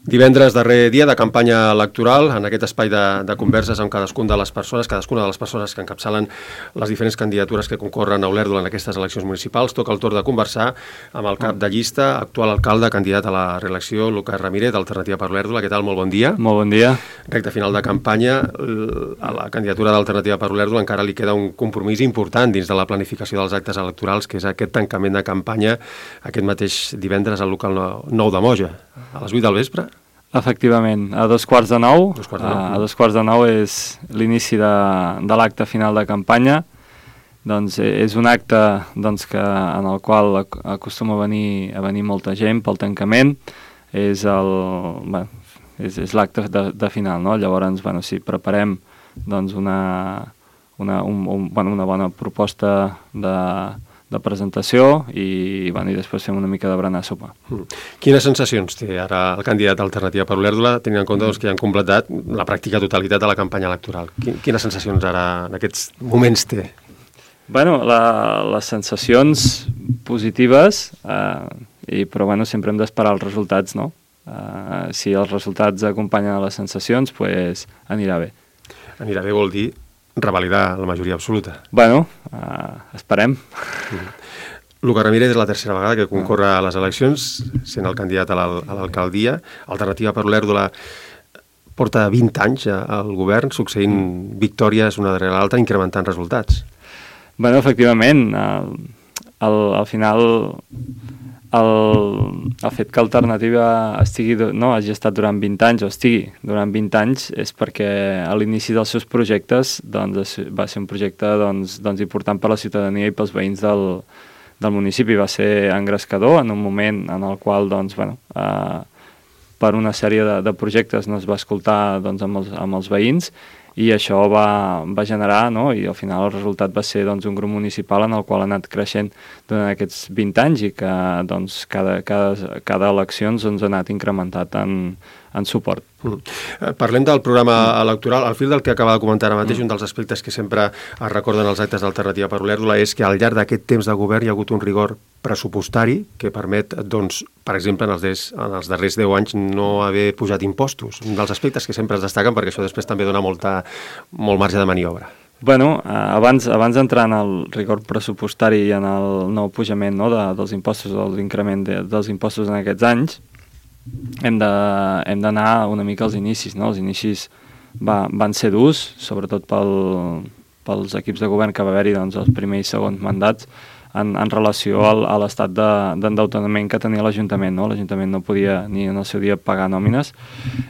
Divendres, darrer dia de campanya electoral, en aquest espai de converses amb cadascuna de les persones que encapçalen les diferents candidatures que concorren a Olèrdola en aquestes eleccions municipals. Toca el torn de conversar amb el cap de llista, actual alcalde, candidat a la reelecció, Lucas Ramírez, d'Alternativa per Olèrdola. Què tal? Molt bon dia. Molt bon dia. Recte final de campanya, a la candidatura d'Alternativa per Olèrdola encara li queda un compromís important dins de la planificació dels actes electorals, que és aquest tancament de campanya aquest mateix divendres al local 9 de Moja, a les 8 del vespre. Efectivament, a 8:45. A 8:45 és l'inici de l'acte final de campanya. Doncs és un acte que, en el qual acostuma a venir molta gent pel tancament. És l'acte de final, no? Llavors, si preparem una bona proposta de presentació i després fem una mica de berenar sopa. Quines sensacions té ara el candidat d'Alternativa per Olèrdola, tenint en compte que ja han completat la pràctica totalitat de la campanya electoral? Quines sensacions ara en aquests moments té? Les sensacions positives, però sempre hem d'esperar els resultats, no? Si els resultats acompanyen les sensacions, doncs anirà bé. Anirà bé vol dir revalidar la majoria absoluta. Esperem. Lucas Ramírez és la tercera vegada que concorre a les eleccions, sent el candidat a l'alcaldia. Alternativa per Olèrdola porta 20 anys al govern, succeint victòries una darrere l'altra, incrementant resultats. Efectivament, al final el fet que Alternativa hagi estat durant 20 anys o estigui durant 20 anys és perquè a l'inici dels seus projectes va ser un projecte important per a la ciutadania i pels veïns del municipi. Va ser engrescador en un moment en el qual per una sèrie de projectes no es va escoltar amb els veïns i això va generar, i al final el resultat va ser un grup municipal en el qual ha anat creixent durant aquests 20 anys i que cada elecció ha anat incrementat en suport. Parlem del programa electoral. Al fil del que acaba de comentar ara mateix, un dels aspectes que sempre es recorden als actes d'Alternativa per Olèrdola és que al llarg d'aquest temps de govern hi ha hagut un rigor pressupostari que permet, per exemple, en els darrers 10 anys no haver pujat impostos. Un dels aspectes que sempre es destaquen perquè això després també dona molt marge de maniobra. Abans d'entrar en el rigor pressupostari i en el nou pujament dels impostos o l'increment dels impostos en aquests anys, hem d'anar una mica als inicis, no? Els inicis van ser durs, sobretot pels equips de govern que va haver-hi els primers i segons mandats en relació a l'estat d'endeutament que tenia l'Ajuntament, no? L'Ajuntament no podia ni en el seu dia pagar nòmines.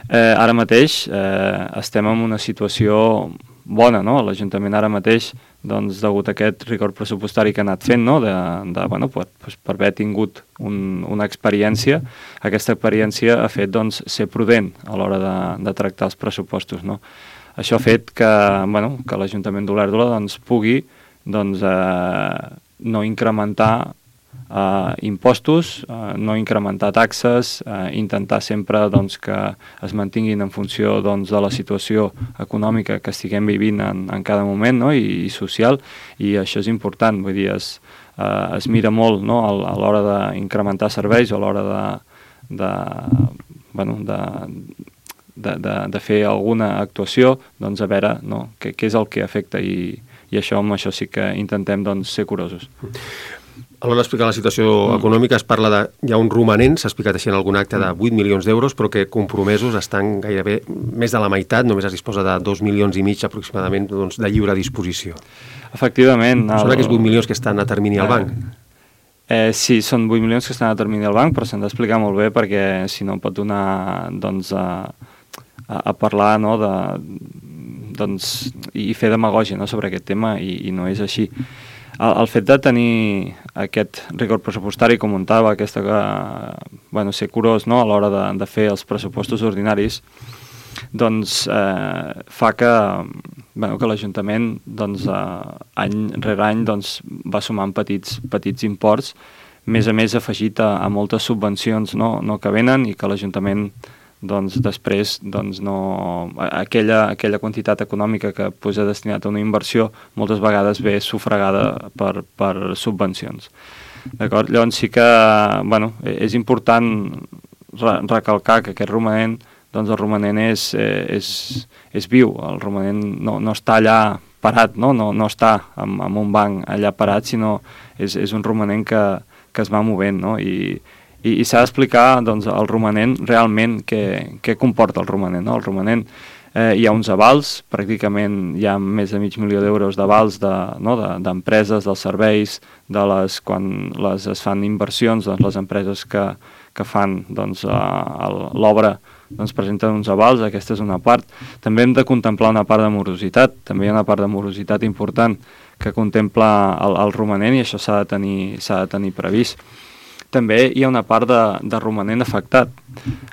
Ara mateix estem en una situació bona, no? L'Ajuntament ara mateix, degut a aquest rigor pressupostari que ha anat fent, no? Per haver tingut una experiència, aquesta experiència ha fet ser prudent a l'hora de tractar els pressupostos, no? Això ha fet que l'Ajuntament d'Olèrdola pugui no incrementar impostos, no incrementar taxes, intentar sempre que es mantinguin en funció de la situació econòmica que estiguem vivint en cada moment, no? I social, i això és important, vull dir, es mira molt, no? A l'hora d'incrementar serveis o a l'hora de fer alguna actuació, a veure què és el que afecta i amb això sí que intentem ser curosos. A l'hora d'explicar la situació econòmica es parla hi ha un romanent, s'ha explicat així en algun acte, de 8 milions d'euros, però que compromesos estan gairebé més de la meitat, només es disposa de 2,5 milions aproximadament de lliure disposició. Efectivament. Són aquests 8 milions que estan a termini al banc? Sí, són 8 milions que estan a termini al banc, però s'han d'explicar molt bé perquè si no pot donar a parlar i fer demagògia sobre aquest tema i no és així. El fet de tenir aquest rigor pressupostari, com comentava, ser curós a l'hora de fer els pressupostos ordinaris, fa que l'Ajuntament any rere any va sumant petits imports, més a més afegit a moltes subvencions no que venen i que l'Ajuntament després aquella quantitat econòmica que posa destinat a una inversió moltes vegades ve sufragada per subvencions. D'acord? Llavors sí que és important recalcar que aquest romanent, doncs el romanent és viu, el romanent no està allà parat, no està en un banc allà parat, sinó és un romanent que es va movent, no? I s'ha d'explicar, doncs, el romanent realment què comporta el romanent, no? El romanent, hi ha uns avals, pràcticament hi ha més de $500.000 d'avals d'empreses, dels serveis, quan es fan inversions, doncs les empreses que fan doncs, l'obra doncs presenten uns avals, aquesta és una part. També hem de contemplar una part de morositat, també hi ha una part de morositat important que contempla el romanent i això s'ha de tenir previst. També hi ha una part de romanent afectat.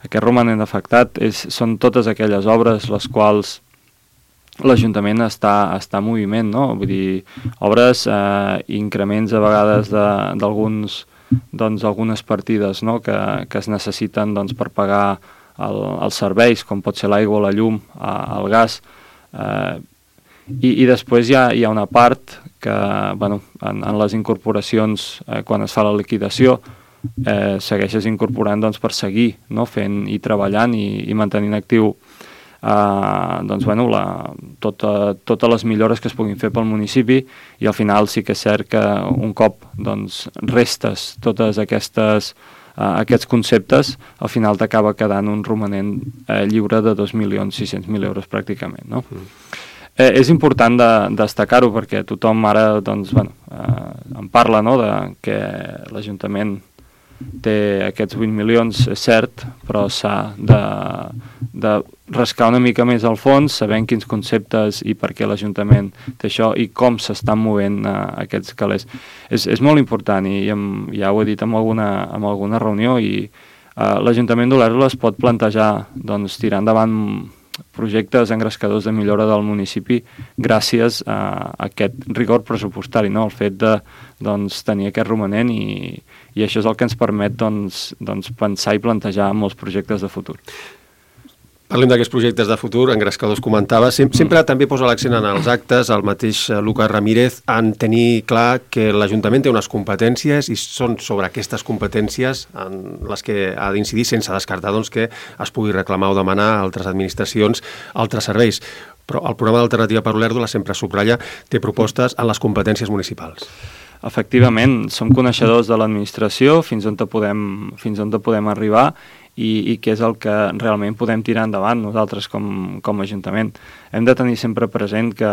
Aquest romanent afectat són totes aquelles obres les quals l'Ajuntament està en moviment, no? Vull dir, obres, increments a vegades d'algunes partides, no? que es necessiten doncs, per pagar els serveis, com pot ser l'aigua, la llum, el gas, i després hi ha una part que, bueno, en les incorporacions, quan es fa la liquidació, segueixes incorporant doncs, per seguir, no? Fent i treballant i mantenint actiu doncs, bueno, totes les millores que es puguin fer pel municipi, i al final sí que és cert que un cop doncs, restes totes aquests conceptes, al final t'acaba quedant un romanent lliure de 2.600.000 € pràcticament, no? És important destacar-ho perquè tothom ara doncs, bueno, en parla, no?, de que l'Ajuntament té aquests 8 milions, és cert, però s'ha de rascar una mica més al fons, sabent quins conceptes i per què l'Ajuntament té això i com s'estan movent aquests calés. És molt important i ja ho he dit en alguna reunió, i l'Ajuntament d'Olèrdola es pot plantejar doncs, tirar endavant projectes engrescadors de millora del municipi gràcies a aquest rigor pressupostari, no? El fet de tenir aquest romanent, i això és el que ens permet pensar i plantejar molts projectes de futur. Parlem d'aquests projectes de futur, engrescadors comentava. Sempre també posa l'accent en els actes, el mateix Lucas Ramírez, en tenir clar que l'Ajuntament té unes competències i són sobre aquestes competències en les que ha d'incidir, sense descartar doncs, que es pugui reclamar o demanar a altres administracions, altres serveis. Però el programa d'Alternativa per Olèrdola sempre subratlla, té propostes en les competències municipals. Efectivament, som coneixedors de l'administració, fins on podem arribar, i què és el que realment podem tirar endavant nosaltres com a Ajuntament. Hem de tenir sempre present que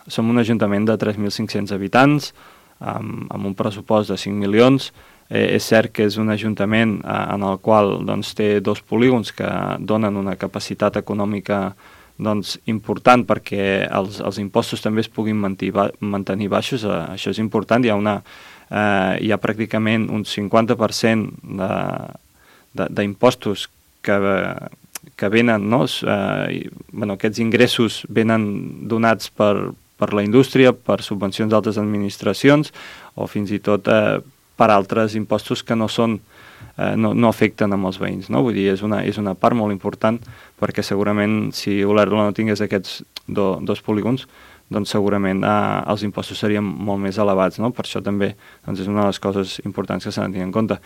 som un Ajuntament de 3.500 habitants, amb un pressupost de 5 milions. És cert que és un Ajuntament en el qual doncs, té 2 polígons que donen una capacitat econòmica doncs, important perquè els impostos també es puguin mantenir baixos. Això és important. Hi ha pràcticament un 50% d'impostos que venen, no? Aquests ingressos venen donats per la indústria, per subvencions d'altres administracions o fins i tot per altres impostos que no afecten amb els veïns, no? Vull dir, és una part molt important, perquè segurament si Olèrdola no tingués aquests dos polígons, doncs segurament els impostos serien molt més elevats, no? Per això també és una de les coses importants que s'han de tenir en compte.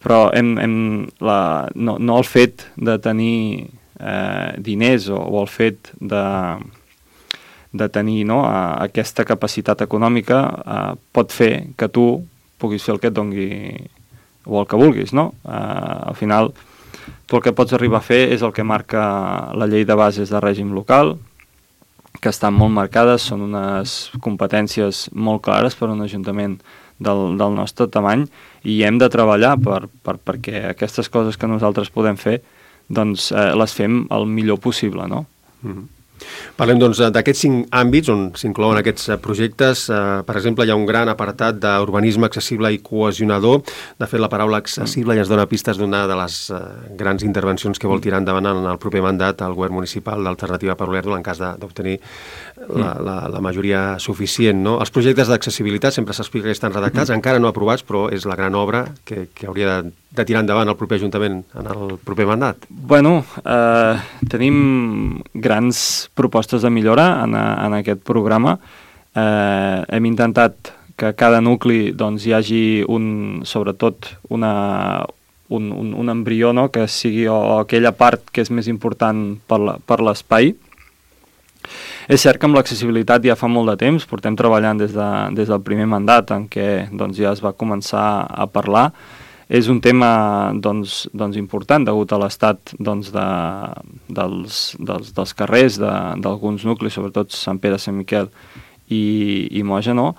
Però no el fet de tenir diners o el fet de tenir aquesta capacitat econòmica pot fer que tu puguis fer el que et dongui o el que vulguis, no? Al final, tu el que pots arribar a fer és el que marca la llei de bases de règim local, que estan molt marcades, són unes competències molt clares per a un ajuntament del nostre tamany, i hem de treballar perquè aquestes coses que nosaltres podem fer doncs les fem el millor possible, no? Mm-hmm. Parlem doncs d'aquests 5 àmbits on s'inclouen aquests projectes. Per exemple, hi ha un gran apartat d'urbanisme accessible i cohesionador. De fet, la paraula accessible ja ens dona pistes d'una de les grans intervencions que vol tirar endavant en el proper mandat al govern municipal d'Alternativa per Olèrdola en cas d'obtenir la majoria suficient, no? Els projectes d'accessibilitat sempre s'explica que estan redactats, encara no aprovats, però és la gran obra que hauria de tirar endavant el proper Ajuntament en el proper mandat. Bueno, tenim grans propostes de millora en aquest programa. Hem intentat que cada nucli doncs, hi hagi sobretot un embrió, no?, que sigui o aquella part que és més important per l'espai. És cert que amb l'accessibilitat ja fa molt de temps, portem treballant des del primer mandat en què doncs, ja es va començar a parlar. És un tema doncs, important degut a l'estat doncs, dels carrers, d'alguns nuclis, sobretot Sant Pere, Sant Miquel i Moja, no?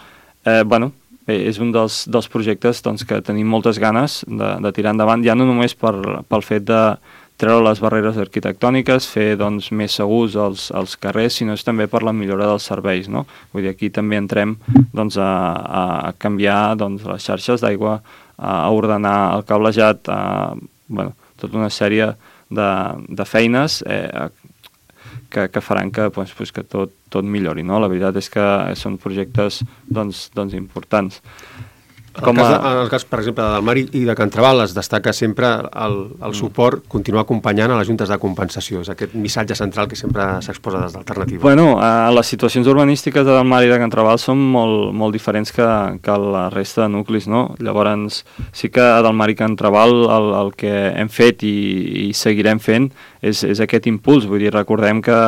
És un dels projectes doncs, que tenim moltes ganes de tirar endavant, ja no només pel fet de treure les barreres arquitectòniques, fer doncs, més segurs els carrers, sinó és també per la millora dels serveis, no? Vull dir, aquí també entrem doncs, a canviar doncs, les xarxes d'aigua, a ordenar el cablejat, tota una sèrie de feines que faran que tot millori, no? La veritat és que són projectes doncs, importants. En el cas, per exemple, de Dalmar i de Can Trabal es destaca sempre el suport, continuar acompanyant a les juntes de compensació. És aquest missatge central que sempre s'exposa des d'Alternativa. Bueno, les situacions urbanístiques de Dalmar i de Can Trabal són molt diferents que la resta de nuclis, no? Llavors, sí que a Dalmar i Can Trabal el que hem fet i seguirem fent és aquest impuls. Vull dir, recordem que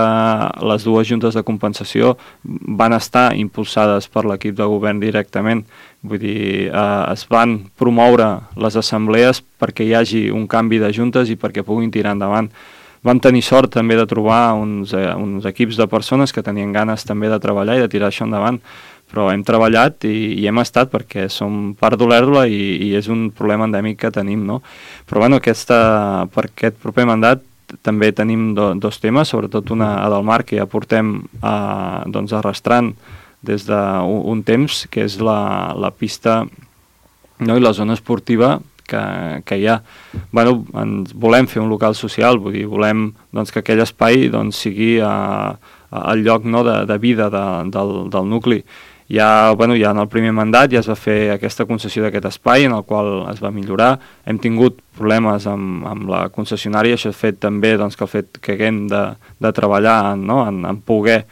les dues juntes de compensació van estar impulsades per l'equip de govern directament. Vull dir, es van promoure les assemblees perquè hi hagi un canvi de juntes i perquè puguin tirar endavant. Vam tenir sort també de trobar uns equips de persones que tenien ganes també de treballar i de tirar això endavant, però hem treballat i hem estat perquè som part d'Olèrdola i és un problema endèmic que tenim, no? Però bueno, per aquest proper mandat també tenim dos temes, sobretot una a Dalmar que ja portem arrastrant des d'un temps, que és la pista, no?, i la zona esportiva que hi ha. Ens volem fer un local social, vull dir, volem doncs, que aquell espai doncs, sigui el lloc, no?, de vida del nucli. Ja en el primer mandat ja es va fer aquesta concessió d'aquest espai en el qual es va millorar. Hem tingut problemes amb la concessionària, això ha fet també doncs, que el fet que haguem de treballar en poder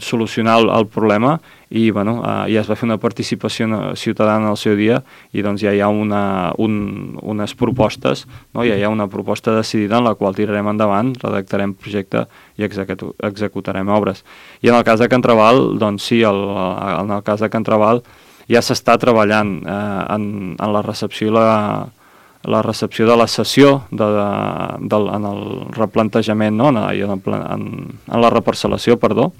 solucionar el problema i ja es va fer una participació ciutadana al seu dia i doncs ja hi ha unes propostes, no? Ja hi ha una proposta decidida en la qual tirarem endavant, redactarem projecte i executarem obres. I en el cas de Can Trabal, doncs sí, en el cas de Can Trabal ja s'està treballant en la recepció de la cessió en el replantejament, no? en la reparcel·lació, perdó.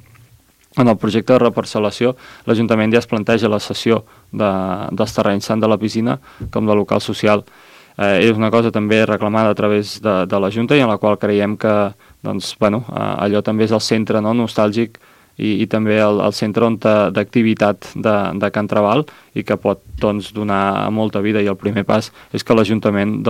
En el projecte de reparcel·lació, l'Ajuntament ja es planteja la cessió dels terrenys tant de la piscina com de local social. És una cosa també reclamada a través de la Junta i en la qual creiem que allò també és el centre, no?, nostàlgic i també el centre d'activitat de Can Trabal i que pot donar molta vida, i el primer pas és que l'Ajuntament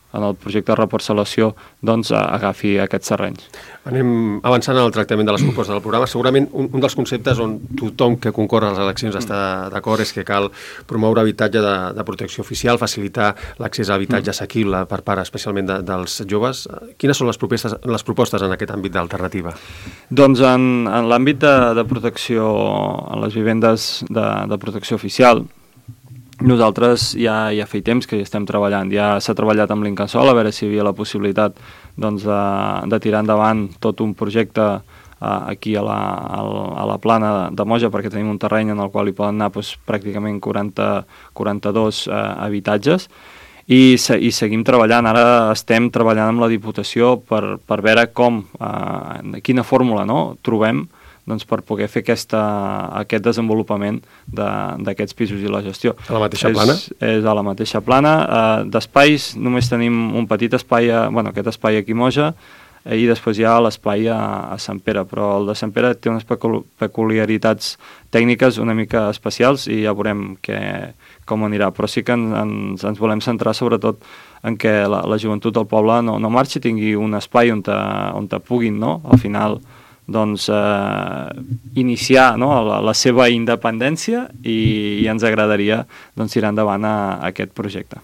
en el projecte de reparcel·lació agafi aquests terrenys. Anem avançant en el tractament de les propostes del programa. Segurament un dels conceptes on tothom que concorre a les eleccions està d'acord és que cal promoure habitatge de protecció oficial, facilitar l'accés a habitatge assequible per part especialment dels joves. Quines són les propostes en aquest àmbit d'Alternativa? Doncs en l'àmbit de protecció, en les vivendes de protecció oficial, nosaltres ja fa temps que hi estem treballant. Ja s'ha treballat amb l'Incasòl a veure si hi havia la possibilitat de tirar endavant tot un projecte aquí a la plana de Moja, perquè tenim un terreny en el qual hi poden anar pràcticament 42 habitatges i seguim treballant. Ara estem treballant amb la Diputació per veure quina fórmula trobem per poder fer aquest desenvolupament d'aquests pisos i la gestió. A la mateixa plana? És a la mateixa plana. D'espais només tenim un petit espai, aquest espai aquí a Moja, i després hi ha l'espai a Sant Pere, però el de Sant Pere té unes peculiaritats tècniques una mica especials i ja veurem com anirà, però sí que ens volem centrar sobretot en què la joventut del poble no marxi, tingui un espai on puguin, al final, iniciar, no, la seva independència i ens agradaria tirar endavant aquest projecte.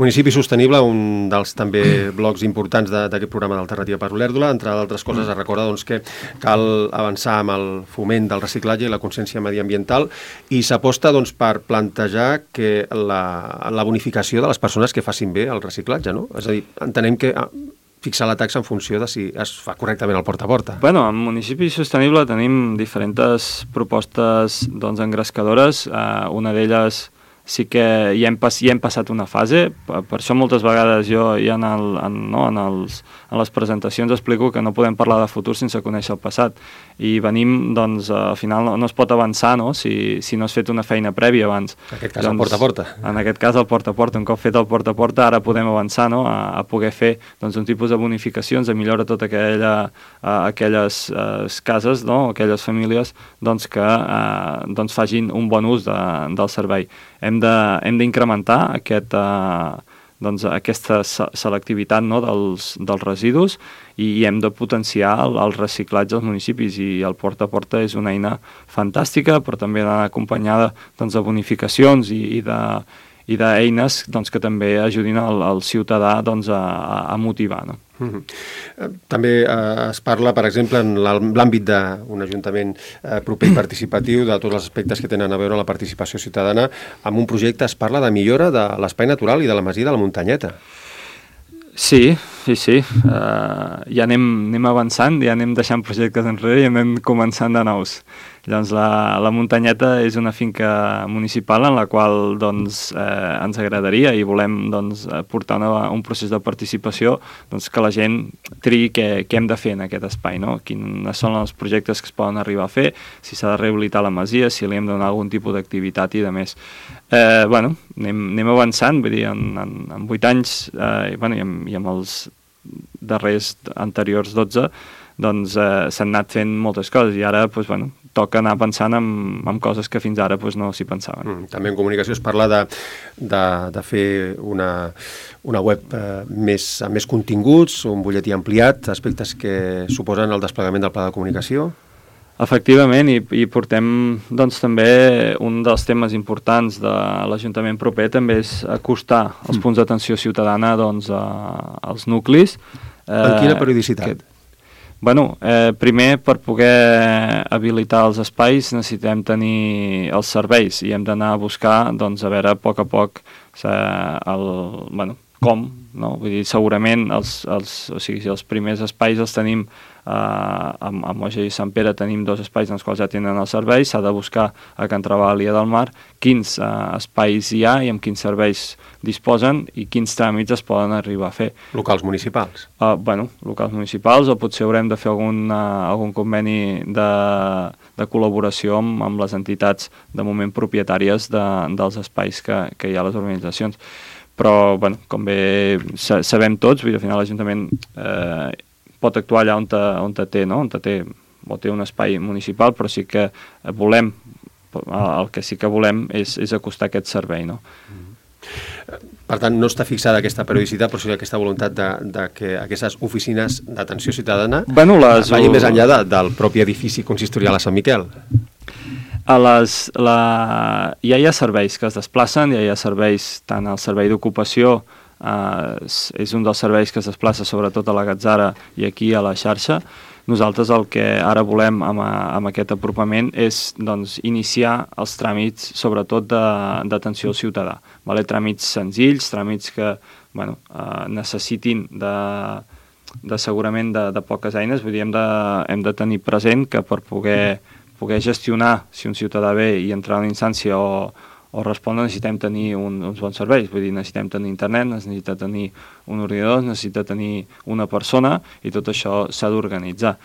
Municipi Sostenible, un dels també blocs importants d'aquest programa d'Alternativa per Olèrdola. Entre d'altres coses es recorda que cal avançar amb el foment del reciclatge i la consciència mediambiental i s'aposta per plantejar que la bonificació de les persones que facin bé el reciclatge, no? És a dir, entenem que fixar la taxa en funció de si es fa correctament el porta a porta. Bueno, en Municipi Sostenible tenim diferents propostes engrescadores. Una d'elles sí que ja hem passat una fase, per això moltes vegades jo ja en les presentacions explico que no podem parlar de futur sense conèixer el passat, i venim, al final no es pot avançar, no? Si no has fet una feina prèvia abans. En aquest cas el porta a porta. En aquest cas el porta a porta, un cop fet el porta a porta ara podem avançar, no? A poder fer un tipus de bonificacions, a millorar tota aquelles cases, no? Aquelles famílies que facin un bon ús del servei. Hem d'incrementar aquesta selectivitat, no, dels residus, i hem de potenciar el reciclatge als municipis, i el porta a porta és una eina fantàstica, però també ha d'anar acompanyada de bonificacions i d'eines que també ajudin el ciutadà a motivar, no? També es parla, per exemple, en l'àmbit d'un ajuntament proper i participatiu, de tots els aspectes que tenen a veure amb la participació ciutadana. En un projecte es parla de millora de l'espai natural i de la masia de la Muntanyeta. Sí. Ja anem avançant, ja anem deixant projectes enrere i anem començant de nous. Llavors, la Muntanyeta és una finca municipal en la qual ens agradaria i volem portar un procés de participació que la gent triï què hem de fer en aquest espai, no? Quins són els projectes que es poden arribar a fer, si s'ha de rehabilitar la masia, si li hem de donar algun tipus d'activitat i de més. Anem avançant, vull dir, en 8 anys i amb els darrers anteriors 12 s'han anat fent moltes coses, i ara toca anar pensant en coses que fins ara no s'hi pensaven. També en comunicació es parla de fer una web amb més continguts, un butlletí ampliat, aspectes que suposen el desplegament del pla de comunicació. Efectivament, i portem també un dels temes importants de l'Ajuntament proper també és acostar els punts d'atenció ciutadana als nuclis. En quina periodicitat? Primer, per poder habilitar els espais necessitem tenir els serveis i hem d'anar a buscar, a veure, a poc com, no? Vull dir, segurament els primers espais els tenim a Moja i Sant Pere, tenim 2 espais en els quals ja tenen els serveis, s'ha de buscar a Can Trabal i a Del Mar quins espais hi ha i amb quins serveis disposen i quins tràmits es poden arribar a fer. Locals municipals? Locals municipals, o potser haurem de fer algun conveni de col·laboració amb les entitats de moment propietàries dels espais que hi ha a les organitzacions. Però, com bé sabem tots, vull dir, al final l'Ajuntament pot actuar allà on té, no? On té un espai municipal, però sí que volem, el que sí que volem és acostar aquest servei, no? Per tant, no està fixada aquesta periodicitat, però sí aquesta voluntat de que aquestes oficines d'atenció ciutadana vagin més enllà del propi edifici consistorial a Sant Miquel. Ja hi ha serveis que es desplacen, ja hi ha serveis, tant el servei d'ocupació és un dels serveis que es desplaça sobretot a la Gatzara i aquí a la xarxa. Nosaltres el que ara volem amb aquest apropament és iniciar els tràmits sobretot d'atenció al ciutadà. Tràmits senzills, tràmits que necessitin segurament de poques eines. Vull dir, hem de tenir present que per poder gestionar si un ciutadà ve i entrar a una instància o respondre necessitem tenir uns bons serveis. Vull dir, necessitem tenir internet, necessita tenir un ordinador, necessita tenir una persona i tot això s'ha d'organitzar.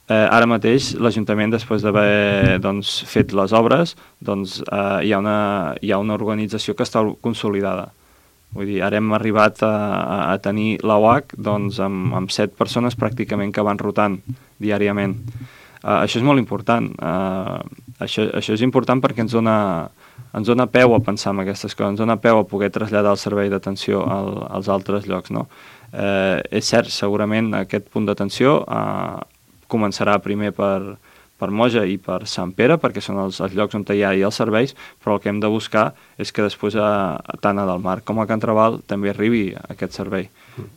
Ara mateix l'Ajuntament, després d'haver fet les obres, hi ha una organització que està consolidada. Vull dir, ara hem arribat a tenir l'OAC amb 7 persones pràcticament que van rotant diàriament. Això és molt important. Això és important perquè ens dona peu a pensar en aquestes coses, ens dona peu a poder traslladar el servei d'atenció als altres llocs, no? És cert, segurament aquest punt d'atenció començarà primer per Moja i per Sant Pere, perquè són els llocs on hi ha els serveis, però el que hem de buscar és que després tant a Delmar com a Can Traval també arribi aquest servei.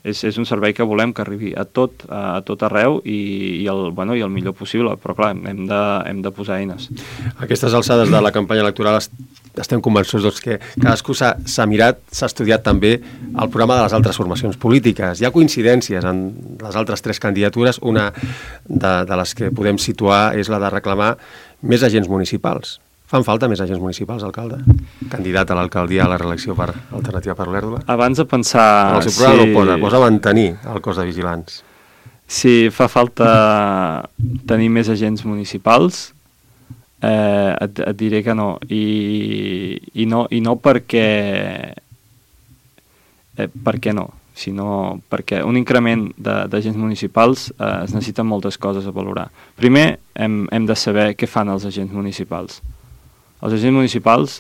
És un servei que volem que arribi a tot arreu i el millor possible, però clar, hem de posar eines. A aquestes alçades de la campanya electoral estem convençuts que cadascú s'ha mirat, s'ha estudiat també el programa de les altres formacions polítiques. Hi ha coincidències en les altres 3 candidatures. Una de les que podem situar és la de reclamar més agents municipals. Fan falta més agents municipals, alcalde? Candidat a l'alcaldia a la reelecció per Alternativa per Olèrdola? Abans de pensar... En el seu programa posa mantenir el cos de vigilants. Si fa falta tenir més agents municipals, et diré que no. I no perquè... Per què no? Sinó perquè un increment d'agents municipals es necessiten moltes coses a valorar. Primer, hem de saber què fan els agents municipals. Els agents municipals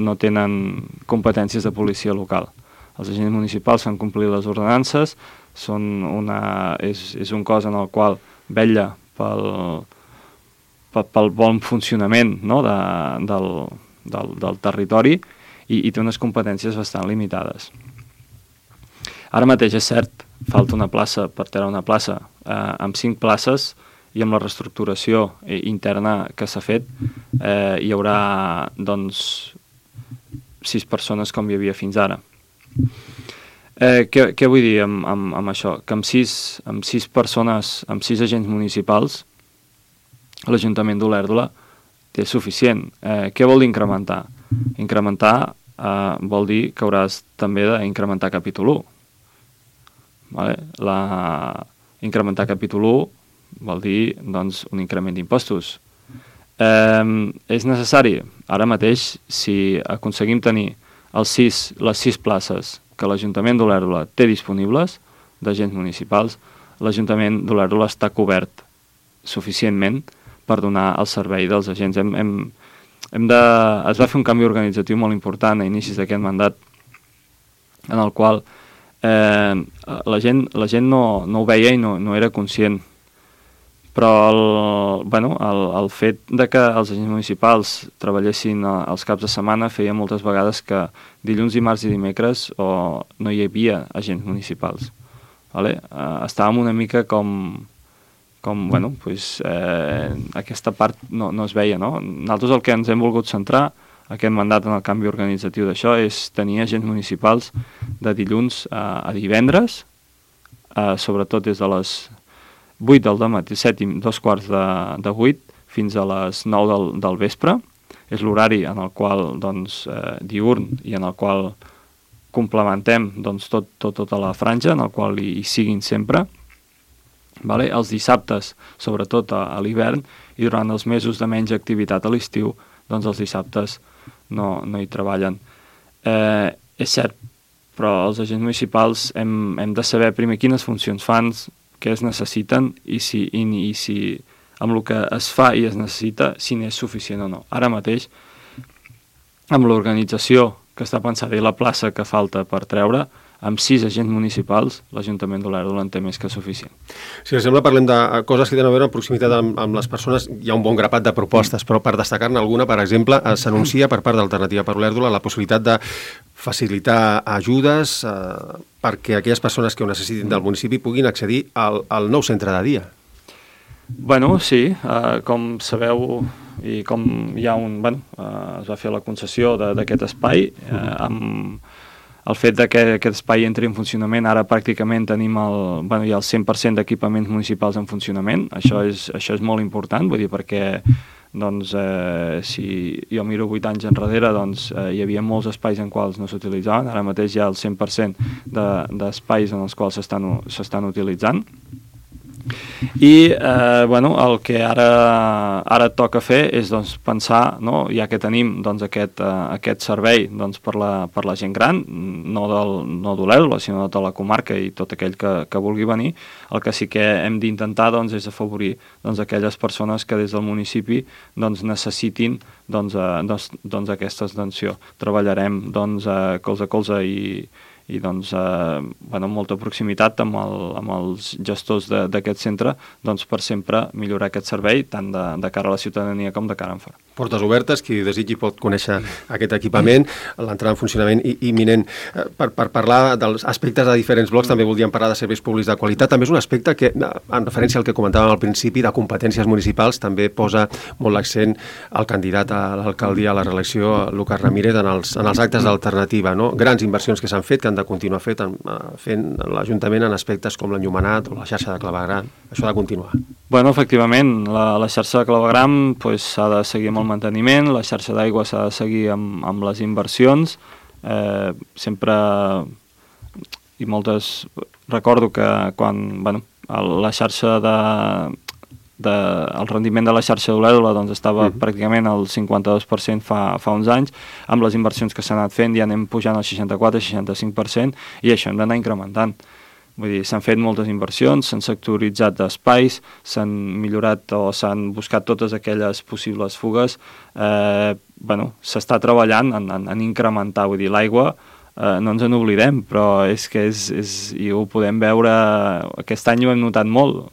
no tenen competències de policia local. Els agents municipals fan complir les ordenances, és un cos en el qual vetlla pel bon funcionament, no, del territori i té unes competències bastant limitades. Ara mateix és cert, falta una plaça per treure una plaça. Amb 5 places i amb la reestructuració interna que s'ha fet hi haurà, doncs, 6 persones com hi havia fins ara. Què vull dir amb això? Que amb 6 persones, amb 6 agents municipals, l'Ajuntament d'Olèrdola té suficient. Què vol dir incrementar? Incrementar vol dir que hauràs també d'incrementar capítol 1. Vale? Incrementar capítol 1 vol dir, doncs, un increment d'impostos. És necessari? Ara mateix, si aconseguim tenir les 6 places que l'Ajuntament d'Olèrdola té disponibles d'agents municipals, l'Ajuntament d'Olèrdola està cobert suficientment per donar el servei dels agents. Es va fer un canvi organitzatiu molt important a inicis d'aquest mandat, en el qual la gent no ho veia i no era conscient. Però el fet de que els agents municipals treballessin els caps de setmana feia moltes vegades que dilluns, dimarts i dimecres no hi havia agents municipals. Vale? Estàvem una mica aquesta part no es veia, no? Nosaltres el que ens hem volgut centrar aquest mandat en el canvi organitzatiu d'això és tenir agents municipals de dilluns a divendres, sobretot des de les 8 del matí, 7 i 7:15 fins a les 9 del vespre. És l'horari en el qual, doncs, diürn i en el qual complementem, doncs, tota la franja, en el qual hi siguin sempre. Vale? Els dissabtes, sobretot a l'hivern, i durant els mesos de menys activitat a l'estiu, doncs els dissabtes no hi treballen. És cert, però els agents municipals hem de saber primer quines funcions fan, què es necessiten i si amb el que es fa i es necessita, si n'és suficient o no. Ara mateix, amb l'organització que està pensada i la plaça que falta per treure, amb 6 agents municipals, l'Ajuntament d'Olèrdola en té més que suficient. Si us sembla, parlem de coses que tenen a veure amb proximitat amb les persones. Hi ha un bon grapat de propostes, però per destacar-ne alguna, per exemple, s'anuncia per part d'Alternativa per Olèrdola la possibilitat de facilitar ajudes perquè aquelles persones que ho necessitin del municipi puguin accedir al nou centre de dia. Bueno, sí, com sabeu i com hi ha es va fer la concessió d'aquest espai, amb el fet que aquest espai entri en funcionament, ara pràcticament tenim hi ha el 100% d'equipaments municipals en funcionament. Això és molt important, vull dir, perquè doncs, si jo miro 8 anys enrere, doncs, hi havia molts espais en quals no s'utilitzaven. Ara mateix hi ha el 100% d'espais en els quals s'estan utilitzant. I el que ara toca fer és, doncs, pensar, no, ja que tenim, doncs, aquest servei, doncs, per la gent gran, no d'Olèrdola, sinó de tota la comarca i tot aquell que vulgui venir. El que sí que hem d'intentar, doncs, és afavorir, doncs, aquelles persones que des del municipi, doncs, necessitin, doncs, aquesta atenció. Treballarem, doncs, colze a colze i doncs, amb molta proximitat amb els gestors d'aquest centre, doncs per sempre millorar aquest servei, tant de cara a la ciutadania com de cara en fora. Portes obertes, qui desitgi pot conèixer aquest equipament, l'entrada en funcionament imminent. Per parlar dels aspectes de diferents blocs, també voldríem parlar de serveis públics de qualitat. També és un aspecte que, en referència al que comentàvem al principi, de competències municipals, també posa molt l'accent el candidat a l'alcaldia a la reelecció, Lucas Ramírez, en els actes d'alternativa, no? Grans inversions que s'han fet, que han de continuar fent l'Ajuntament en aspectes com l'enllumenat o la xarxa de clavegram. Això ha de continuar. Bueno, efectivament, la xarxa de clavegram s'ha de seguir amb el manteniment, la xarxa d'aigua s'ha de seguir amb les inversions, sempre i moltes... Recordo que quan la xarxa el rendiment de la xarxa d'Olèdola doncs estava pràcticament al 52% fa uns anys, amb les inversions que s'han anat fent ja anem pujant al 64-65% i això hem d'anar incrementant. Vull dir, s'han fet moltes inversions, s'han sectoritzat espais, s'han millorat o s'han buscat totes aquelles possibles fugues. S'està treballant en incrementar, vull dir, l'aigua, no ens en oblidem, però és que i ho podem veure, aquest any ho hem notat molt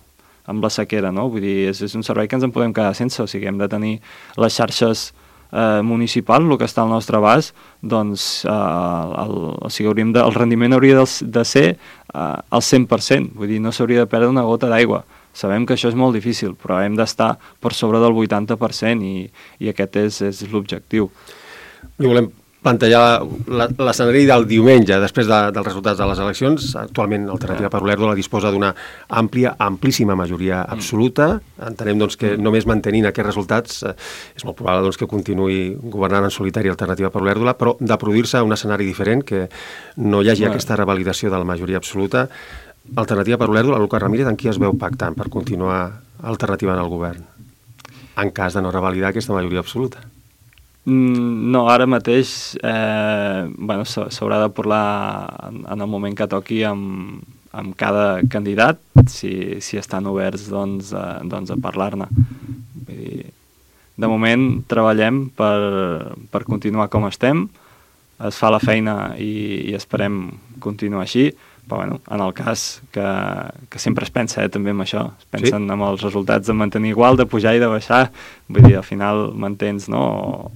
amb la sequera, no? Vull dir, és un servei que ens en podem quedar sense, o sigui, hem de tenir les xarxes municipal, el que està al nostre abast, doncs el rendiment hauria de ser al 100%, vull dir, no s'hauria de perdre una gota d'aigua. Sabem que això és molt difícil, però hem d'estar per sobre del 80% i aquest és l'objectiu. I volem plantejar l'escenari del diumenge, després dels resultats de les eleccions. Actualment, Alternativa per Olèrdola disposa d'una amplíssima majoria absoluta. Entenem doncs, que només mantenint aquests resultats és molt probable doncs, que continuï governant en solitari Alternativa per Olèrdola, però de produir-se un escenari diferent, que no hi hagi aquesta revalidació de la majoria absoluta. Alternativa per Olèrdola, Lucas Ramírez, en qui es veu pactant per continuar Alternativa en el govern, en cas de no revalidar aquesta majoria absoluta? No, ara mateix s'haurà de parlar en el moment que toqui amb cada candidat, si estan oberts doncs, a parlar-ne. De moment treballem per continuar com estem, es fa la feina i esperem continuar així, però en el cas que sempre es pensa també en això, es pensen amb els resultats de mantenir igual, de pujar i de baixar, vull dir, al final mantens, no?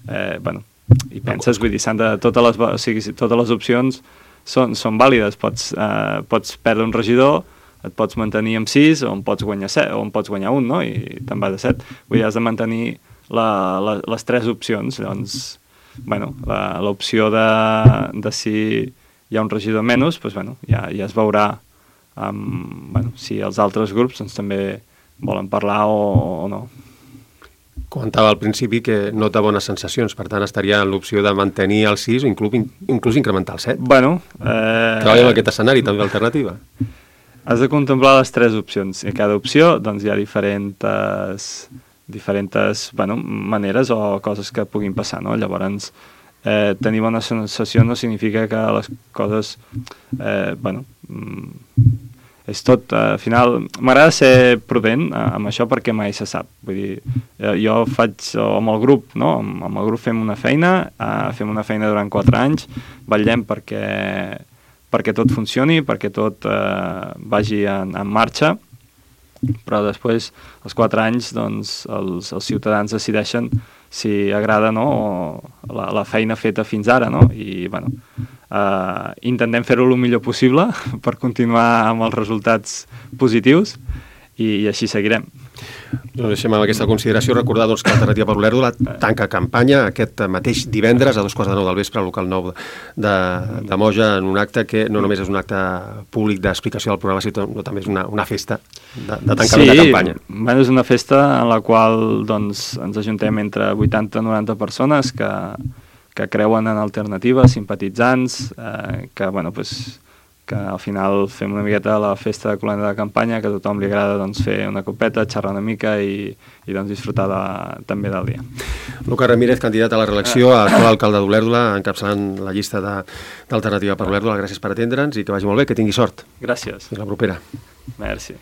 I penses, vull dir, totes les opcions són vàlides, pots perdre un regidor, et pots mantenir amb 6 o en pots guanyar 7 o en pots guanyar un, no? I te'n vas a 7, vull dir, has de mantenir les 3 opcions. Llavors, l'opció de si hi ha un regidor menys, ja es veurà si els altres grups també volen parlar o no. Comentava al principi que nota bones sensacions, per tant estaria en l'opció de mantenir el 6 o inclús incrementar el 7. Treballa en aquest escenari també alternativa. Has de contemplar les 3 opcions. I a cada opció hi ha diferents maneres o coses que puguin passar, no? Llavors, tenir bona sensació no significa que les coses és tot, al final m'agrada ser prudent amb això perquè mai se sap, vull dir, jo faig amb el grup, no? Amb el grup fem una feina durant 4 anys, vetllem perquè tot funcioni, perquè tot vagi en marxa, però després, als 4 anys, doncs, els ciutadans decideixen si agrada o no la feina feta fins ara, no? I, intentem fer-ho el millor possible per continuar amb els resultats positius i així seguirem. Doncs deixem amb aquesta consideració recordar que Alternativa per Olèrdola tanca campanya aquest mateix divendres a 2:15 del vespre al local 9 de Moja, en un acte que no només és un acte públic d'explicació del programa, sinó també és una festa de tancament de campanya. Sí, és una festa en la qual ens ajuntem entre 80 i 90 persones que creuen en Alternativa, simpatitzants, que al final fem una miqueta la festa de colenda de campanya, que a tothom li agrada fer una copeta, xerrar una mica i disfrutar també del dia. Lucas Ramírez, candidat a la reelecció, actual alcalde d'Olèrdola, encapçalant la llista d'Alternativa per Olèrdola. Gràcies per atendre'ns i que vagi molt bé, que tingui sort. Gràcies. Fins la propera. Merci.